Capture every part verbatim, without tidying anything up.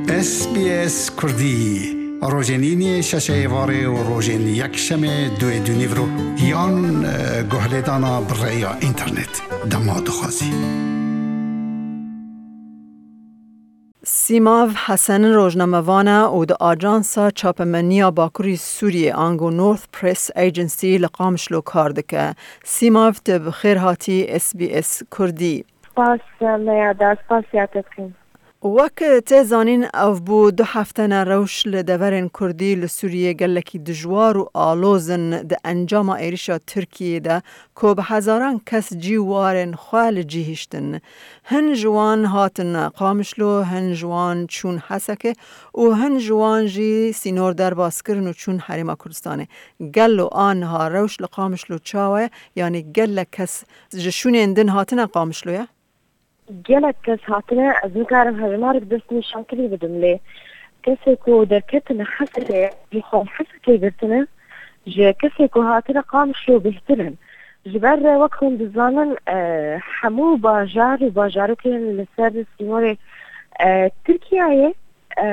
S B S Kurdî, rojên îniyê şeşê êvarê û rojên yekşemê duê dûnîvro yan, e, guhlêdana bi rêya înternet. Dema dixwazî. Sîmav Hesen rojnamevan e û di Ajansa Çapemeniya Bakurî Sûriyê, ango North Press Agency, li Qamişlo kar dike. Sîmav, tu bi xêr hatî S B S Kurdî. Spas, Meyada, spasiya te dikim. Wek tê zanîn, ev bû du hefte ne rewş li deverên Kurdî li Sûriyê gelekî dijwar û aloz in. Di encama êrişa Tirkiyê de ku bi hezaran kes cî warên xwe li cî hiştin. Hin ji wan hatin Qamişlo, hin ji wan çûn Hesekê û hin ji wan jî sînor derbas kirin û çûn Herêma Kurdistanê. Gelo a niha rewş li Qamişlo çawa ye? Yanî gelek kes ji şûnên din hatine Qamişloya? Gelek kes hatine, ez nikarim hejmarek destnîşankirinê bidim, lê kesê ku derketine Hesekê, ji xwe Hesekê girtine, ji kesê ku hatine Qamişlo bêhtir in. Ji ber wek hûn dizanin, e, hemû bajar û bajarokên li ser sînorê, e, Tirkiyeyê, e,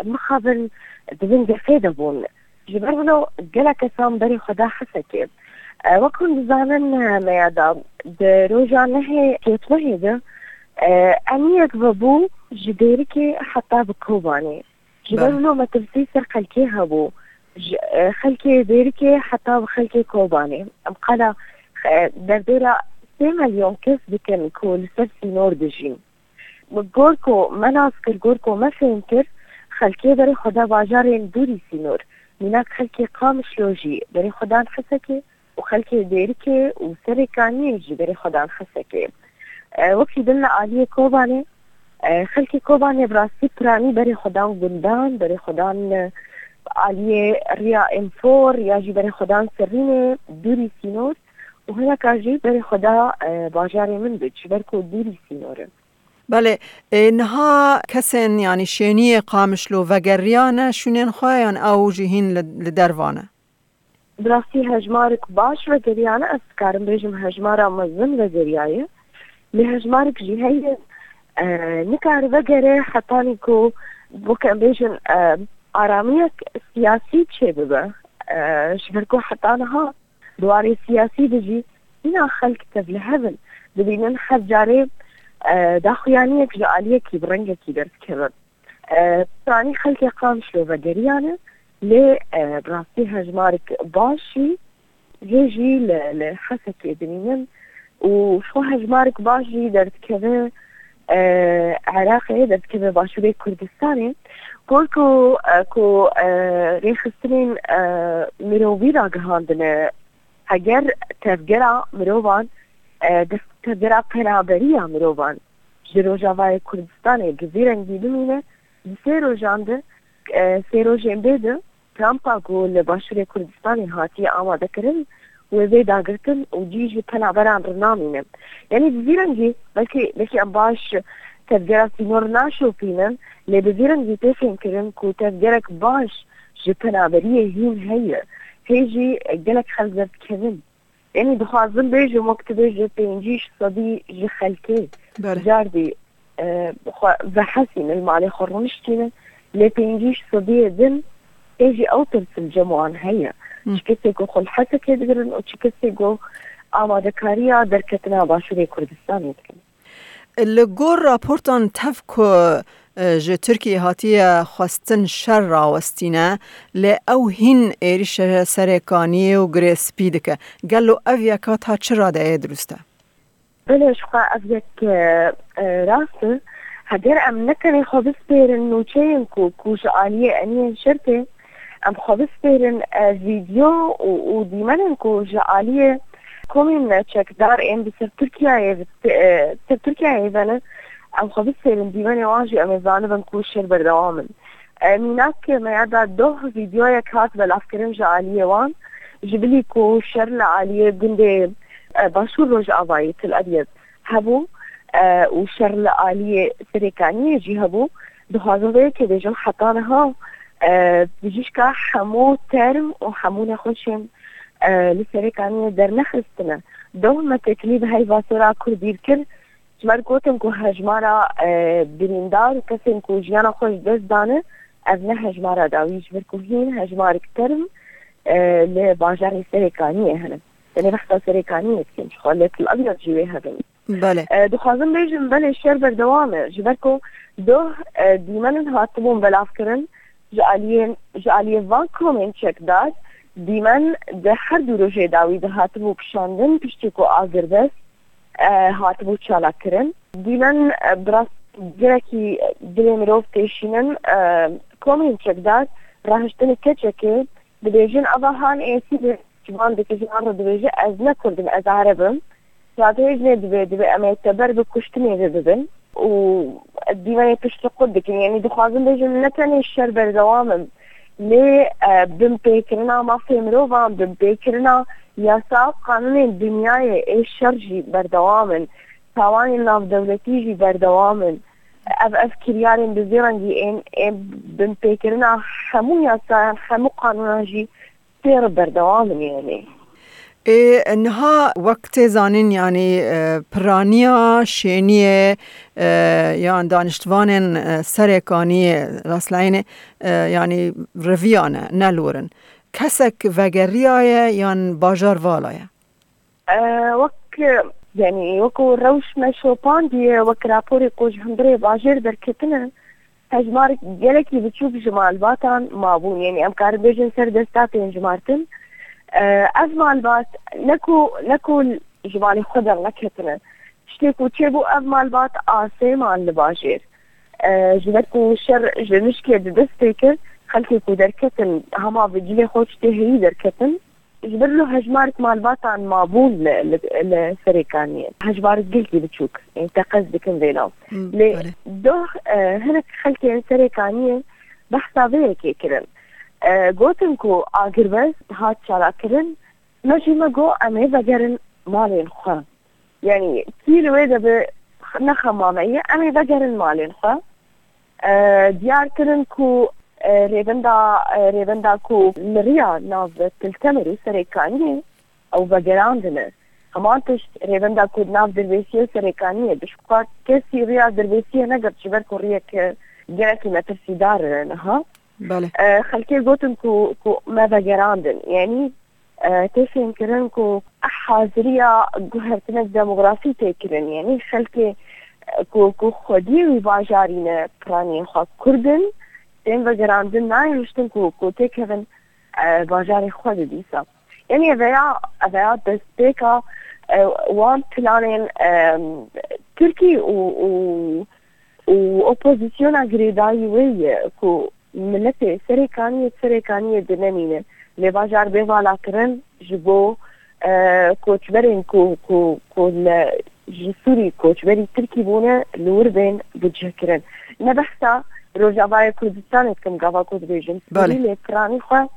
mixabin di bin gefê de bûn. Ji ber wilo gelek kesan berê xwe da Hesekê. E, wek hûn dizanin, e, Meyada, di roja nehê kêtmehê de, e, eniyek vebû ji Dêrikê heta bi Kobanê. Ji ber Belê. wilo metirsî ser xelkê hebû. Ji, e, xelkê Dêrikê heta bi xelkê Kobanê. Em qala, e, derdora sê milyon kes dikin ku li ser sînor dijîn. Gor ku me nas kir, gor ku me fêm kir, xelkê berê xwe da bajarên dûrî sînor. Mînak xelkê Qamişlo jî berê xwe dan Hesekê û xelkê Dêrikê û Serêkaniyê jî berê xwe dan Hesekê. E, wekî din li aliyê Kobanê, e, xelkê Kobanê bi rastî piranî berê xwe dan gundan, berê xwe dan, e, aliyê riya Enfor ya jî berê xwe dan Serînê, dûrî sînor û hineka jî berê xwe da, e, bajarê Minbic, ji ber ku dûrî sînor in. Belê, ê, niha kesên, yanî şêniyê Qamişlo vegeriyane şûnên xwe yan ew jî hîn li, li derva ne? Bi rastî hejmarek baş vegeriyane, ez dikarim bêjim hejmara mezin vegeriyaye. Lê hejmarek jî heye, e, nikare vegere hetanî ku, wek em bêjin, e, aramiyek siyasî çêbibe. E, ji ber ku heta niha di warê siyasî de jî hîna xelk tevlihev in. Dibînin her carê, e, daxuyaniyek ji aliyekî bi rengekî derdikeve. E, piranî xelkê Qamişlo vegeriyane, lê, e, bi rastî hejmarek baş jî hê jî li, li Hesekê dimînin û ji xwe hejmarek baş jî derdikeve, e, Iraqê, derdikeve Başûrê Kurdistanê. Gor ku, e, ku, e, rêxistinên, e, mirovî ragihandine, heger tevgera mirovan, e, dest tevgera penaberiya mirovan ji Rojavayê Kurdistanê bi vî rengî bimîne, di sê rojan de, e, sê rojên bê de, Kampa ku li Başûrê Kurdistanê hatiye amadekirin, wê bê dagirtin û cî ji penaberan re namîne. Yanî bi vî rengî belkî, belkî em baş tevgera sînor naşopînin, lê bi vî rengî tê fêmkirin ku tevgerek baş ji penaberiyê hîn heye. Hê jî gelek xelk derdikevin. Yanî dixwazim bêjim, wek tu bêjî pêncî sedî ji xelkê Belê. cardî, e, xwe vehesînin, li malê xwe rûniştînin, lê pêncî sediyê din hê jî ew tirs li cem wan heye. Hı. Çi kesê ku xwe li Hesekê digirin û çi kesê ku amadekariya derketina Başûrê Kurdistanê dikin. Li gor raportan tev ku, e, ji Tirkiyê hatiye xwestin şer rawestîne, lê ew hîn êrişe Serêkaniyê û Girê Spî dike. Gelo ev yeka ta çi radeyê dirust e? Belê, ji xwe ev yek, e, e, rast e. Heger em ne tenê xwe bispêrin nûçeyên ku, ku ji aliyê eniyên şer tê, em xwe bispêrin, e, vîdyo û, û dîmenên ku ji aliyê komên çekdar ên bi ser Tirkiyeyê, bi, e, ser Tirkiyeyê ve ne, em xwe bispêrin dîmenê wan jî em ê zanibin ku şer berdewam in. E, mînak, me ya da doh vîdyoyek hat belavkirin ji aliyê wan, ji bilî ku şer li aliyê gundê, e, Başûr Rojavayê Til Ebyed hebû, e, û şer li aliyê Serêkaniyê jî hebû. Dixwazim vê yekê bêjim, heta niha, e, bijîşka hemû term û hemû nexweşên, e, li Serêkaniyê dernexistine. Doh me têkilî bi heyva sor a Kurdî kir, Ji ber gotin ku hejmara, e, birîndar û kesên ku jiyana xwe ji dest dane, ev ne hejmara dawî, ji ber ku hîn hejmarek term, e, li bajarê Serêkaniyê hene. Tenê behsa Serêkaniyê dikin, ji xwe li Til Abyad jî wê hebin. Belê. E, dixwazim bêjim, belê şer berdewam e. Ji ber ku doh, e, dîmenin hatibûn belavkirin, ji aliyê, ji aliyê van komên çekdar, dîmen di her du rojê dawî de hatibû kişandin, piştî ku agirbest, e, hatibû çalakkirin. Dîmen, e, bi rast gelekî dilê mirov têşînin, e, komên çekdar rahiştinê keçekê dibêjin, ava han êsî de ji van dikişinan re dibêje, ez ne Kurd im, ez Ereb im. Radihêjinê dibê, dibê em ê teber bi kuştinê ve bibin û dîmenê pişt xwe dikin. Yanî dixwazim bêjim, ne tenê şer berdewam in, lê, e, binpêkirina mafê mirovan, binpêkirina yasa û qanûnên dinyayê ê şer jî berdewam in. Tawanên navdewletî jî berdewam in. Ev, ev kiryarên bi vî rengî ên, ên binpêkirina hemû yasayan, hemû qanûnan jî tê re berdewam in yanî. Ê, niha wek tê zanîn, yanî, e, piraniya şêniyê, e, yan daniştvanên, e, Serêkaniyê, rastlayînê, e, yanî reviyane, ne li wir in. Kesek vegeriyaye yan bajar valaye? E, wek, yanî wekû rewş me şopandiye, wek raporê ku ji hundirê bajêr derketine, hejmarek gelekî biçûk ji malbatan mabûn. Yanî em karin bêjin ser desta tên jimartin. E, ev malbat ne ku, ne ku ji malê xwe derneketine. Tiştê ku çêbû, ev malbat asê man li bajêr. E, ji ber ku şer ji nişkê di dest pê kir, xelkê ku derketin hema bi cilê xwe tiştê heyî derketin. Ji ber lo hejmarek malbatan mabûn li, li, li Serêkaniyê. Hejmarek gelkî biçûk, ê, teqez dikin vê nav. Hmm, Lê belê. doh, e, hinek xelkên Serêkaniyê behsa vê yekê kirin. E, gotin ku agirbest hat çalakkirin, me jî me got em ê vegerin malên xwe. Yanî kî li wê de bi ne xema me ye, em ê vegerin malên xwe. E, diyar kirin ku, e, rêvenda, e, rêvenda ku miriya nav Til Temirê û Serêkaniyê ew vegerandine. Heman tişt rêvenda ku nav Dirbêsiyê û Serêkaniyê, bi şiqat kesî riya Dirbêsiyê negirt, ji ber ku riyek, e, gelekî metirsîdar e niha. Belê. E, xelkê gotin ku, ku me vegerandin. Yanî e, tê fêmkirin ku haziriya guhertinek demografî tê kirin. Yanî xelkê, e, ku, ku xwediyê wî bajarî ne, piraniyên xwe Kurd in, tên vegerandin, nayên hiştin ku, ku têkevin, e, bajarê xwe de dîsa. Yanî eveya, eveya destpêka, e, wan planên, e, Tirkî û, û û opozisyona girêdayî wê ye ku miletê Serêkaniyê, Serêkaniyê dinemîne. Lê bajar bê valakirin ji bo, e, koçberên ku, ku, ku li, ji Sûrî koçberî Tirkî bûne, li wir bên bicihkirin. Ne behsa Rojavayê Kurdistanê dikim, gava ku dibêjim Belê. Sûrî, lê piranî xwe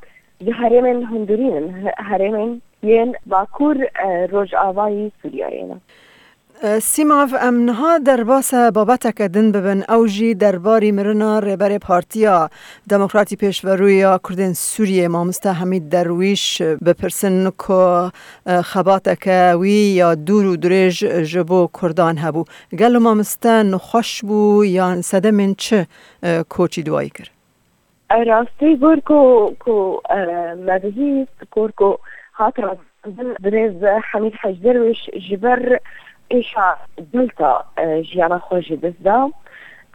ji herêmên hundirîn in, he-, herêmên yên bakur, e, rojavayî Sûriyeyê ne. Sîmav, em niha derbasa babeteke din bibin, ew jî derbarî mirina rêberê Partiya Demokratî Pêşverû ya Kurdên Sûriyê, mamoste Hemîd Derwîş, bipirsin ku, e, xebateke wî ya dûr û dirêj ji bo Kurdan hebû. Gelo mamoste nexweş bû yan sedemên çi, e, koçî duwayî kir? Rastî, gor ku, ku, e, me bihîst, gor ku hat ragihandin, birêz Hemîd Hec Derwêş ji ber êşa Delta, e, jiyana xwe ji dest da.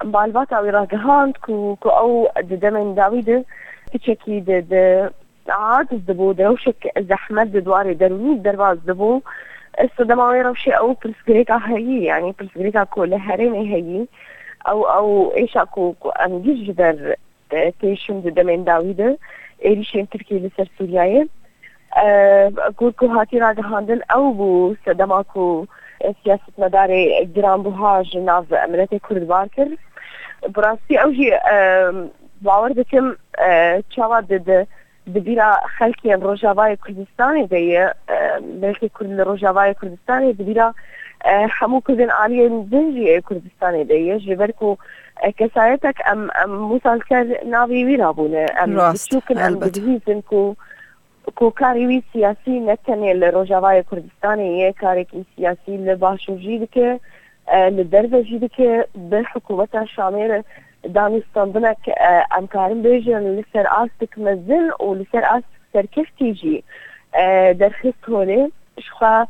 Malbata wî ragihand ku, ku ew di demên dawî de piçekî di, di aciz dibû, di rewşek zehmet di dwarê derûnî derbas dibû. Sedema wê rewşê ew pirsgirêka heyî, yanî pirsgirêka ku li herêmê heyî, ew, ew êşa ku, ku em gî ji ber e, têşin di demên dawî de êrîşên Tirkiyê li ser Sûriyeyê. E, ku, ku hatî ragihandin ew bû sedema ku, e, siyasetmedarê giranbuha ji nav miletê Kurd bar kir. Bi rastî ew jî, e, bawer dikim, e, çawa di, di, di bîra xelkên Rojavayê Kurdistanê de ye, e, miletê Kurd li Rojavayê Kurdistanê di bîra, e, hemû Kurdên aliyên din jî ê Kurdistanê de ye. Ji ber ku e, kesayetek em, em wisa li ser navê wî rabûne. Em Rast, biçûk in, em elbet. dibihîzin ku, ku karê wî siyasî ne tenê li Rojavayê Kurdistanê ye, karekî siyasî li Başûr jî dike. e, li derve jî dike, bi hikûmeta Şamê re danûstandinek, e, em karin bêjin li ser astik mezin û li ser astik serkeftî jî, e, derxist holê. Jixwe,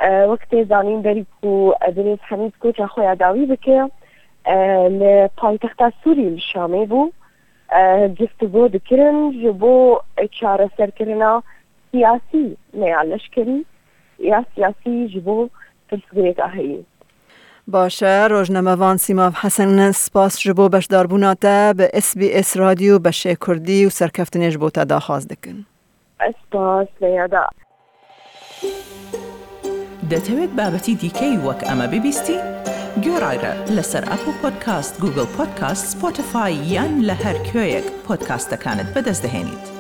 e, wek tê zanîn berî ku, e, birêz Hemîd koça xwe ya dawî bike, e, li paytexta Sûrî li Şamê bû, e, giftûgo dikirin ji bo çareserkirina siyasî, ne ya leşkerî, ya siyasî ji bo pirsgirêka heyî. Baş e, rojnamevan Sîmav Hesen, spas ji bo beşdarbûna te bi S B S Radyo beşê Kurdî û serkeftinê ji bo te daxwaz dikin. Ez spas, Leyada. دەتەوێت بابەتی دیکەی وەک ئەمە ببیستی؟ گوێڕایرە لەسەر ئەپڵ پۆدکاست، گوگڵ پۆدکاست، سپۆتیفای یان لە هەر کوێیەک پۆدکاستەکانت بەدەست دەهێنیت.